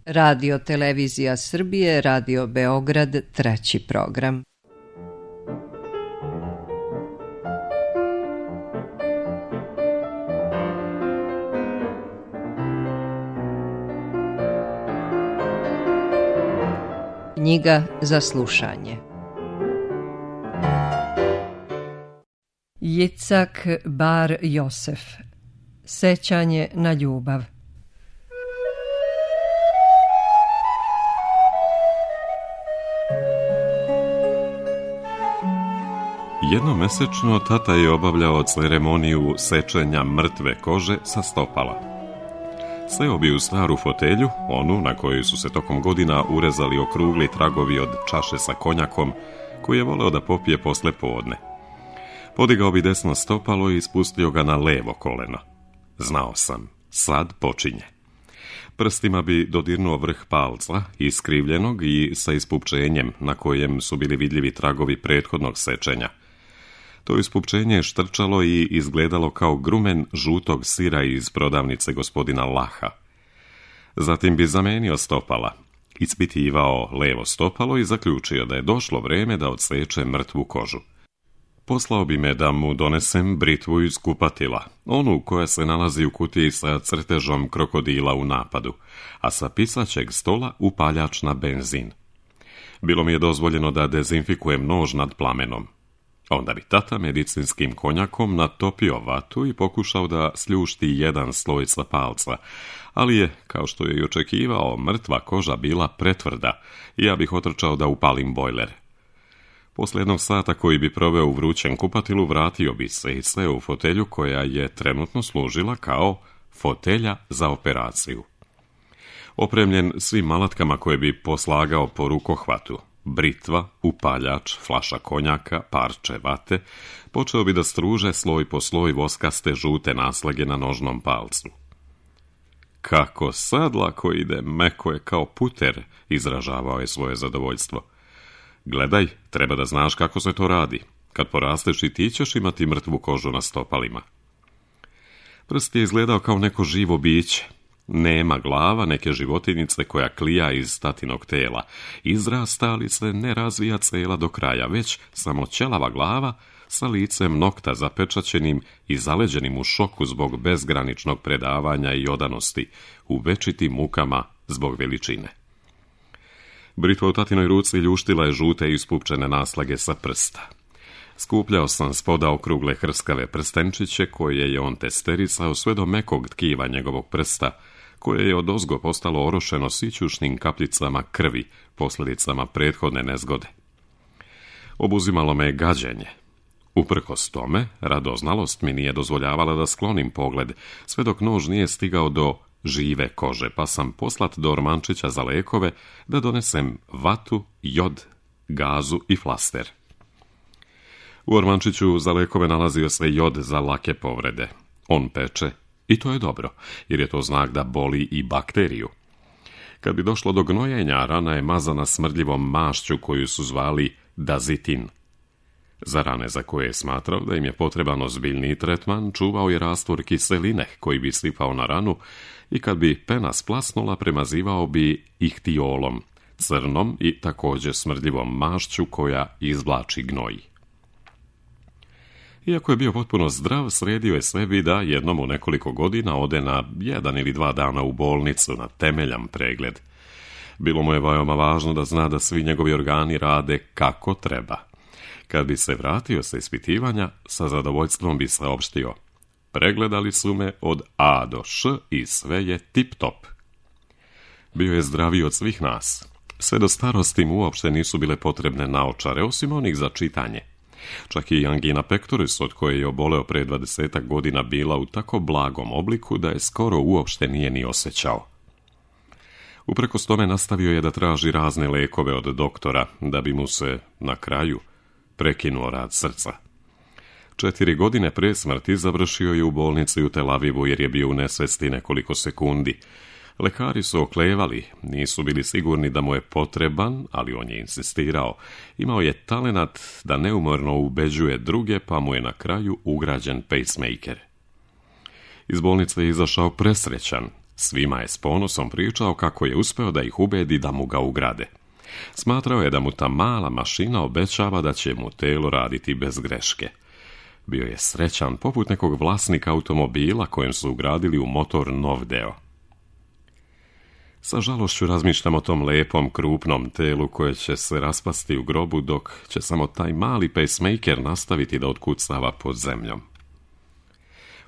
Radio Televizija Srbije, Radio Beograd, treći program. Knjiga za slušanje. Jicak Bar Josef. Sećanje na ljubav. Jednomesečno tata je obavljao ceremoniju sečenja mrtve kože sa stopala. Seo bi u staru fotelju, onu na kojoj su se tokom godina urezali okrugli tragovi od čaše sa konjakom, koju je voleo da popije posle podne. Podigao bi desno stopalo i spustio ga na levo koleno. Znao sam, sad počinje. Prstima bi dodirnuo vrh palca, iskrivljenog i sa ispupčenjem na kojem su bili vidljivi tragovi prethodnog sečenja. To ispupčenje je štrčalo i izgledalo kao grumen žutog sira iz prodavnice gospodina Laha. Zatim bi zamenio stopala, ispitivao levo stopalo i zaključio da je došlo vreme da odseče mrtvu kožu. Poslao bi me da mu donesem britvu iz kupatila, onu koja se nalazi u kutiji sa crtežom krokodila u napadu, a sa pisaćeg stola upaljač na benzin. Bilo mi je dozvoljeno da dezinfikujem nož nad plamenom. Onda bi tata medicinskim konjakom natopio vatu i pokušao da sljušti jedan sloj sa palca, ali je, kao što je i očekivao, mrtva koža bila pretvrda i ja bih otrčao da upalim bojler. Posle jednog sata koji bi proveo u vrućem kupatilu, vratio bi se i seo u fotelju koja je trenutno služila kao fotelja za operaciju. Opremljen svim alatkama koje bi poslagao po rukohvatu, britva, upaljač, flaša konjaka, parče vate, počeo bi da struže sloj po sloj voskaste žute naslage na nožnom palcu. Kako sad lako ide, meko je kao puter, izražavao je svoje zadovoljstvo. Gledaj, treba da znaš kako se to radi. Kad porasteš i ti ćeš imati mrtvu kožu na stopalima. Prst je izgledao kao neko živo biće. Nema glava neke životinice koja klija iz tatinog tela. Izrasta, ali se ne razvija cela do kraja, već samo ćelava glava sa licem nokta zapečaćenim i zaleđenim u šoku zbog bezgraničnog predavanja i odanosti, u večitim mukama zbog veličine. Britva u tatinoj ruci ljuštila je žute i ispupčene naslage sa prsta. Skupljao sam spoda okrugle hrskave prstenčiće koje je on testerisao sve do mekog tkiva njegovog prsta, koje je odozgo postalo orošeno sićušnim kapljicama krvi, posljedicama prethodne nezgode. Obuzimalo me gađenje. Uprkos tome, radoznalost mi nije dozvoljavala da sklonim pogled, sve dok nož nije stigao do žive kože, pa sam poslat do ormančića za lekove da donesem vatu, jod, gazu i flaster. U ormančiću za lekove nalazio se jod za lake povrede. On peče i to je dobro, jer je to znak da boli i bakteriju. Kad bi došlo do gnojenja, rana je mazana smrdljivom mašću koju su zvali dazitin. Za rane za koje je smatrao da im je potreban ozbiljniji tretman, čuvao je rastvor kiseline koji bi sipao na ranu i kad bi pena splasnula, premazivao bi ihtiolom, crnom i također smrdljivom mašću koja izvlači gnoj. Iako je bio potpuno zdrav, sredio je sebi da jednom u nekoliko godina ode na 1 ili 2 dana u bolnicu na temeljan pregled. Bilo mu je veoma važno da zna da svi njegovi organi rade kako treba. Kad bi se vratio sa ispitivanja, sa zadovoljstvom bi saopštio: pregledali su me od A do Š i sve je tip-top. Bio je zdraviji od svih nas. Sve do starosti mu uopšte nisu bile potrebne naočare, osim onih za čitanje. Čak i angina pectoris, od koje je oboleo pre 20 godina, bila u tako blagom obliku da je skoro uopšte nije ni osjećao. Uprkos tome nastavio je da traži razne lekove od doktora, da bi mu se, na kraju, prekinuo rad srca. 4 godine pre smrti završio je u bolnici u Tel Avivu jer je bio u nesvesti nekoliko sekundi. Lekari su oklevali, nisu bili sigurni da mu je potreban, ali on je insistirao. Imao je talenat da neumorno ubeđuje druge, pa mu je na kraju ugrađen pacemaker. Iz bolnice je izašao presrećan. Svima je s ponosom pričao kako je uspeo da ih ubedi da mu ga ugrade. Smatrao je da mu ta mala mašina obećava da će mu telo raditi bez greške. Bio je srećan poput nekog vlasnika automobila kojem su ugradili u motor nov deo. Sa žalošću razmišljam o tom lepom, krupnom telu koje će se raspasti u grobu, dok će samo taj mali pacemaker nastaviti da otkucava pod zemljom.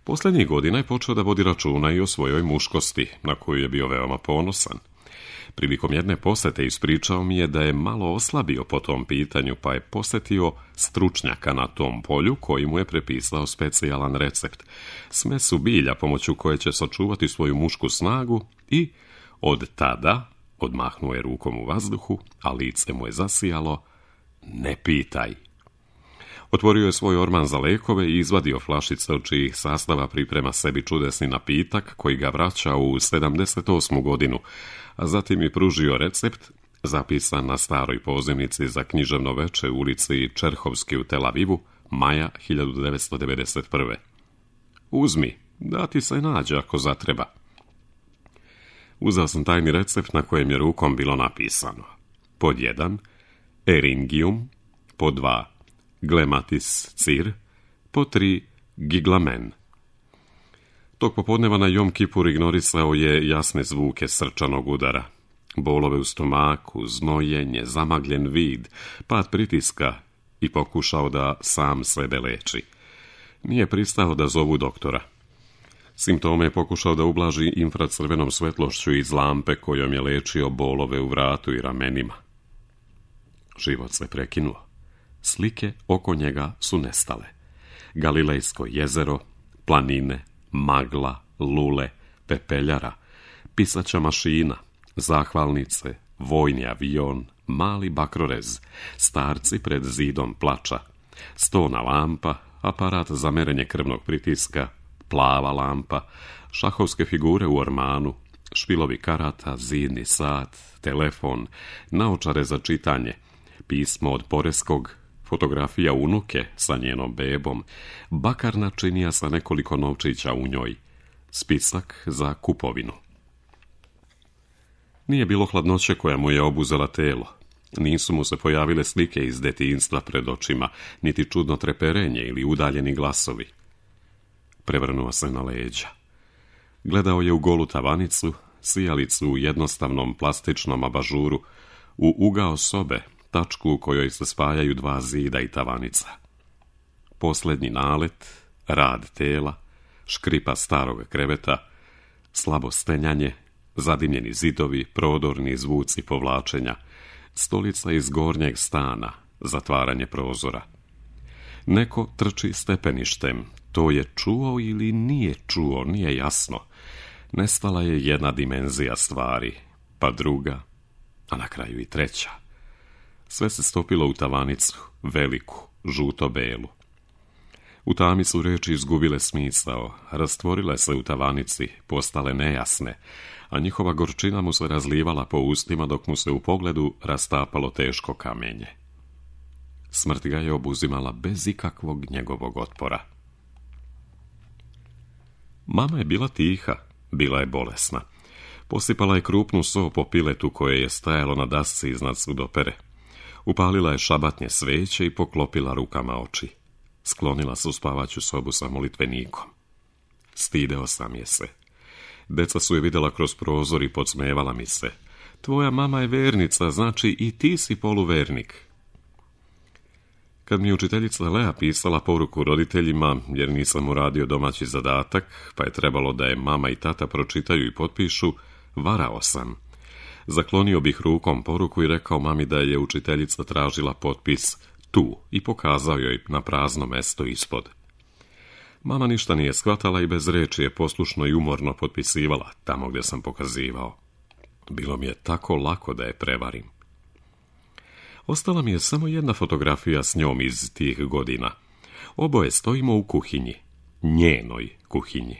Posljednjih godina je počeo da vodi računa i o svojoj muškosti, na koju je bio veoma ponosan. Prilikom jedne posete ispričao mi je da je malo oslabio po tom pitanju, pa je posjetio stručnjaka na tom polju koji mu je prepisao specijalan recept, smesu bilja pomoću koje će sačuvati svoju mušku snagu i od tada, odmahnuo je rukom u vazduhu, a lice mu je zasijalo, ne pitaj. Otvorio je svoj orman za lekove i izvadio flašice od čijih sastava priprema sebi čudesni napitak koji ga vraća u 78. godinu, a zatim je pružio recept zapisan na staroj pozivnici za književno veče u ulici Čerhovski u Tel Avivu, maja 1991. Uzmi, da ti se nađe ako zatreba. Uzeo sam tajni recept na kojem je rukom bilo napisano: pod 1 eringium, pod 2 glematis cir, pod 3 giglamen. Tog popodneva na Jom Kipur ignorisao je jasne zvuke srčanog udara, bolove u stomaku, znojenje, zamagljen vid, pad pritiska i pokušao da sam sebe leči. Nije pristao da zovu doktora. Simptome je pokušao da ublaži infracrvenom svetlošću iz lampe kojom je lečio bolove u vratu i ramenima. Život se prekinuo. Slike oko njega su nestale. Galilejsko jezero, planine, magla, lule, pepeljara, pisaća mašina, zahvalnice, vojni avion, mali bakrorez, starci pred zidom plača, stona lampa, aparat za merenje krvnog pritiska, plava lampa, šahovske figure u ormanu, špilovi karata, zidni sat, telefon, naočare za čitanje, pismo od Poreskog, fotografija unuke sa njenom bebom, bakarna činija sa nekoliko novčića u njoj, spisak za kupovinu. Nije bilo hladnoće koja mu je obuzela telo. Nisu mu se pojavile slike iz detinjstva pred očima, niti čudno treperenje ili udaljeni glasovi. Prevrnuo se na leđa. Gledao je u golu tavanicu, sijalicu u jednostavnom plastičnom abažuru, u ugao sobe, tačku u kojoj se spajaju dva zida i tavanica. Posljednji nalet, rad tela, škripa starog kreveta, slabo stenjanje, zadimljeni zidovi, prodorni zvuci povlačenja, stolica iz gornjeg stana, zatvaranje prozora. Neko trči stepeništem, to je čuo ili nije čuo, nije jasno. Nestala je jedna dimenzija stvari, pa druga, a na kraju i treća. Sve se stopilo u tavanicu, veliku, žuto-belu. U tami su reči izgubile smisao, rastvorile se u tavanici, postale nejasne, a njihova gorčina mu se razlivala po ustima dok mu se u pogledu rastapalo teško kamenje. Smrt ga je obuzimala bez ikakvog njegovog otpora. Mama je bila tiha, bila je bolesna. Posipala je krupnu so po piletu koje je stajalo na dasci iznad sudopere. Upalila je šabatnje sveće i poklopila rukama oči. Sklonila se u spavaću sobu sa molitvenikom. Stideo sam je se. Deca su je vidjela kroz prozor i podsmevala mi se. Tvoja mama je vernica, znači i ti si poluvernik. Kad mi je učiteljica Lea pisala poruku roditeljima, jer nisam uradio domaći zadatak, pa je trebalo da je mama i tata pročitaju i potpišu, varao sam. Zaklonio bih rukom poruku i rekao mami da je učiteljica tražila potpis tu i pokazao joj na prazno mesto ispod. Mama ništa nije shvatala i bez reči je poslušno i umorno potpisivala tamo gdje sam pokazivao. Bilo mi je tako lako da je prevarim. Ostala mi je samo jedna fotografija s njom iz tih godina. Oboje stojimo u kuhinji, njenoj kuhinji.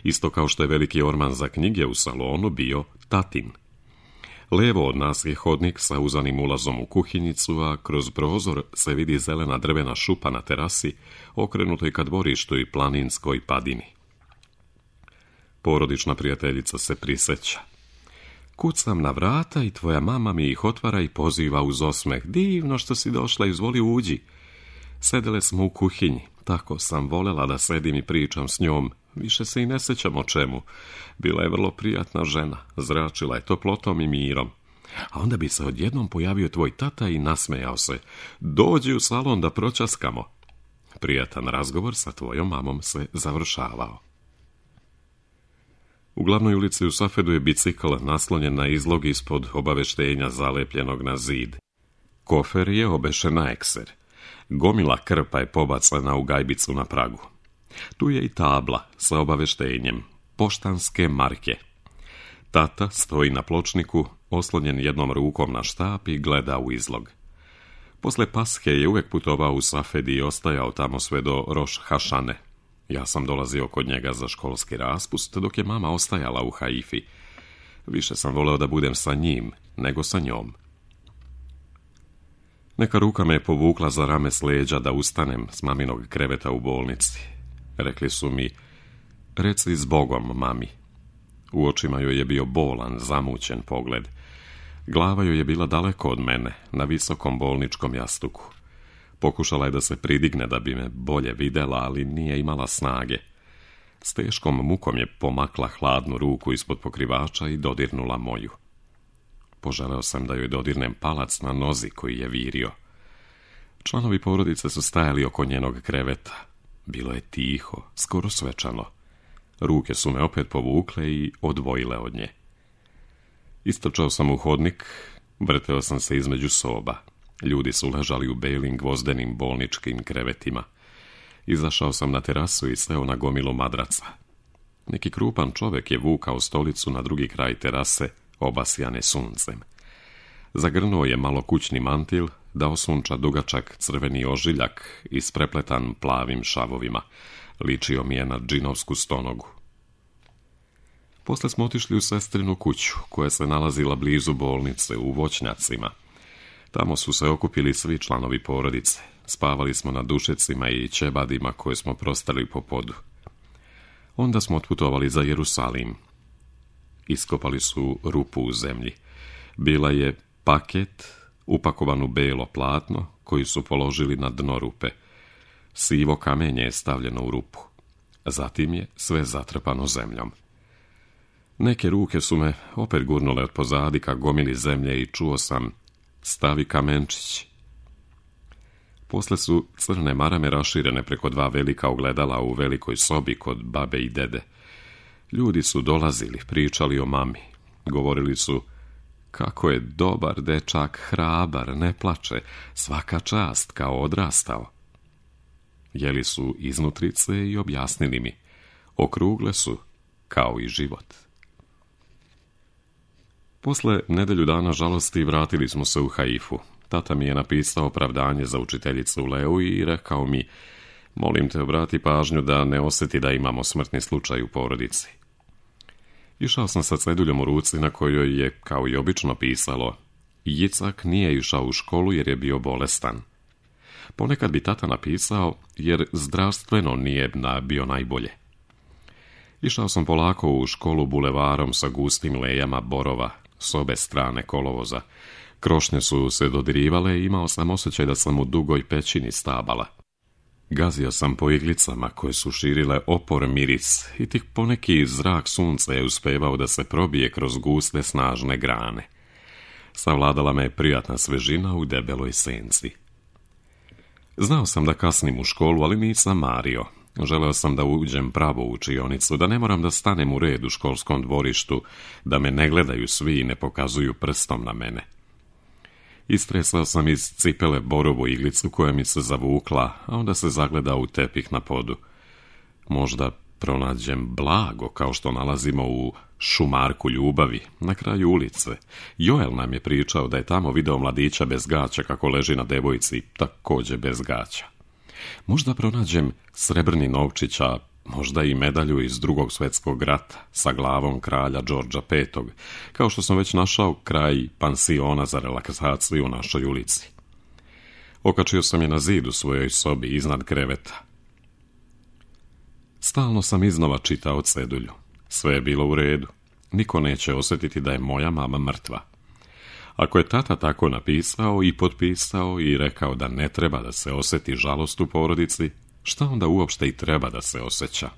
Isto kao što je veliki orman za knjige u salonu bio tatin. Levo od nas je hodnik sa uzanim ulazom u kuhinjicu, a kroz prozor se vidi zelena drvena šupa na terasi, okrenutoj ka dvorištu i planinskoj padini. Porodična prijateljica se prisjeća. Kucam na vrata i tvoja mama mi ih otvara i poziva uz osmeh. Divno što si došla, izvoli uđi. Sedele smo u kuhinji. Tako sam voljela da sedim i pričam s njom. Više se i ne sjećam o čemu. Bila je vrlo prijatna žena. Zračila je toplotom i mirom. A onda bi se odjednom pojavio tvoj tata i nasmejao se. Dođi u salon da pročaskamo. Prijatan razgovor sa tvojom mamom se završavao. U glavnoj ulici u Safedu je bicikl naslonjen na izlog ispod obaveštenja zalepljenog na zid. Kofer je obešen na ekser. Gomila krpa je pobacana u gajbicu na pragu. Tu je i tabla sa obaveštenjem. Poštanske marke. Tata stoji na pločniku, oslonjen jednom rukom na štap i gleda u izlog. Posle Pashe je uvijek putovao u Safedi i ostajao tamo sve do Roš Hašane. Ja sam dolazio kod njega za školski raspust, dok je mama ostajala u Haifi. Više sam voleo da budem sa njim, nego sa njom. Neka ruka me je povukla za rame s leđa da ustanem s maminog kreveta u bolnici. Rekli su mi, reci s Bogom, mami. U očima joj je bio bolan, zamućen pogled. Glava joj je bila daleko od mene, na visokom bolničkom jastuku. Pokušala je da se pridigne da bi me bolje videla, ali nije imala snage. S teškom mukom je pomakla hladnu ruku ispod pokrivača i dodirnula moju. Poželeo sam da joj dodirnem palac na nozi koji je virio. Članovi porodice su stajali oko njenog kreveta. Bilo je tiho, skoro svečano. Ruke su me opet povukle i odvojile od nje. Istrčao sam u hodnik, vrteo sam se između soba. Ljudi su ležali u belim gvozdenim bolničkim krevetima. Izašao sam na terasu i seo na gomilu madraca. Neki krupan čovjek je vukao stolicu na drugi kraj terase, obasjane suncem. Zagrnuo je malo kućni mantil da osunča dugačak crveni ožiljak isprepletan plavim šavovima. Ličio mi je na džinovsku stonogu. Posle smo otišli u sestrinu kuću, koja se nalazila blizu bolnice, u voćnjacima. Tamo su se okupili svi članovi porodice. Spavali smo na dušecima i ćebadima koje smo prostali po podu. Onda smo otputovali za Jerusalim. Iskopali su rupu u zemlji. Bila je paket upakovan u belo platno koji su položili na dno rupe. Sivo kamenje je stavljeno u rupu. Zatim je sve zatrpano zemljom. Neke ruke su me opet gurnule od pozadi ka gomili zemlje i čuo sam stavi kamenčić. Posle su crne marame raširene preko dva velika ogledala u velikoj sobi kod babe i dede. Ljudi su dolazili, pričali o mami. Govorili su, kako je dobar dečak, hrabar, ne plače, svaka čast, kao odrastao. Jeli su iznutrice i objasnili mi, okrugle su, kao i život. Posle nedelju dana žalosti vratili smo se u Haifu. Tata mi je napisao opravdanje za učiteljicu Leu i rekao mi, molim te obrati pažnju da ne osjeti da imamo smrtni slučaj u porodici. Išao sam sa ceduljom u ruci na kojoj je, kao i obično, pisalo, Jicak nije išao u školu jer je bio bolestan. Ponekad bi tata napisao jer zdravstveno nije bio najbolje. Išao sam polako u školu bulevarom sa gustim lejama borova, s obe strane kolovoza. Krošnje su se dodirivale i imao sam osjećaj da sam u dugoj pećini stabala. Gazio sam po iglicama koje su širile opor miris i tik poneki zrak sunca je uspevao da se probije kroz guste snažne grane. Savladala me prijatna svežina u debeloj senci. Znao sam da kasnim u školu, ali nisam mario. Želeo sam da uđem pravo u učionicu, da ne moram da stanem u red u školskom dvorištu, da me ne gledaju svi i ne pokazuju prstom na mene. Istresao sam iz cipele borovu iglicu koja mi se zavukla, a onda se zagledao u tepih na podu. Možda pronađem blago kao što nalazimo u šumarku ljubavi, na kraju ulice. Joel nam je pričao da je tamo video mladića bez gaća kako leži na devojci, također bez gaća. Možda pronađem srebrni novčića, možda i medalju iz Drugog svjetskog rata sa glavom kralja Đorđa V, kao što sam već našao kraj pansiona za relaksaciju u našoj ulici. Okačio sam je na zid u svojoj sobi iznad kreveta. Stalno sam iznova čitao cedulju. Sve je bilo u redu. Niko neće osjetiti da je moja mama mrtva. Ako je tata tako napisao i potpisao i rekao da ne treba da se osjeti žalost u porodici, šta onda uopšte i treba da se osjeća?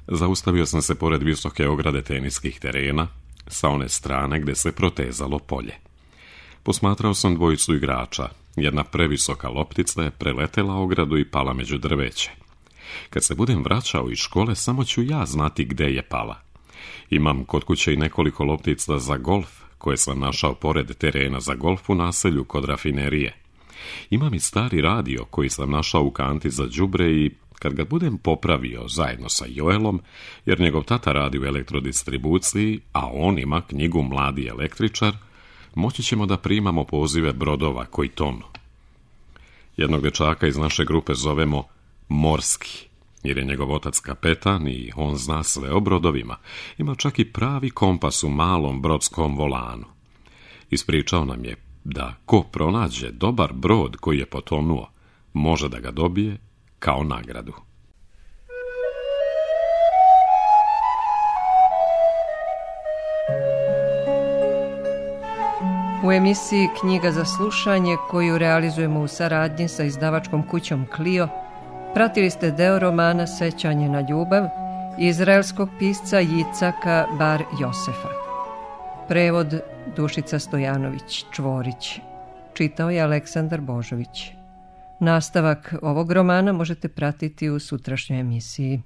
Zaustavio sam se pored visoke ograde teniskih terena, sa one strane gdje se protezalo polje. Posmatrao sam dvojicu igrača. Jedna previsoka loptica je preletela ogradu i pala među drveće. Kad se budem vraćao iz škole, samo ću ja znati gde je pala. Imam kod kuće i nekoliko loptica za golf, koje sam našao pored terena za golf u naselju kod rafinerije. Imam i stari radio koji sam našao u kanti za đubre i kad ga budem popravio zajedno sa Joelom, jer njegov tata radi u elektrodistribuciji, a on ima knjigu Mladi električar, moći ćemo da primamo pozive brodova koji tonu. Jednog dečaka iz naše grupe zovemo Morski, jer je njegov otac kapetan i on zna sve o brodovima. Ima čak i pravi kompas u malom brodskom volanu. Ispričao nam je da ko pronađe dobar brod koji je potonuo, može da ga dobije kao nagradu. U emisiji Knjiga za slušanje, koju realizujemo u saradnji sa izdavačkom kućom Clio, pratili ste deo romana Sećanje na ljubav izraelskog pisca Jicaka Bar Josefa. Prevod Dušica Stojanović Čvorić. Čitao je Aleksandar Božović. Nastavak ovog romana možete pratiti u sutrašnjoj emisiji.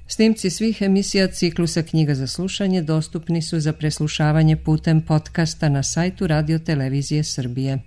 Snimci svih emisija ciklusa Knjiga za slušanje dostupni su za preslušavanje putem podcasta na sajtu Radio Televizije Srbije.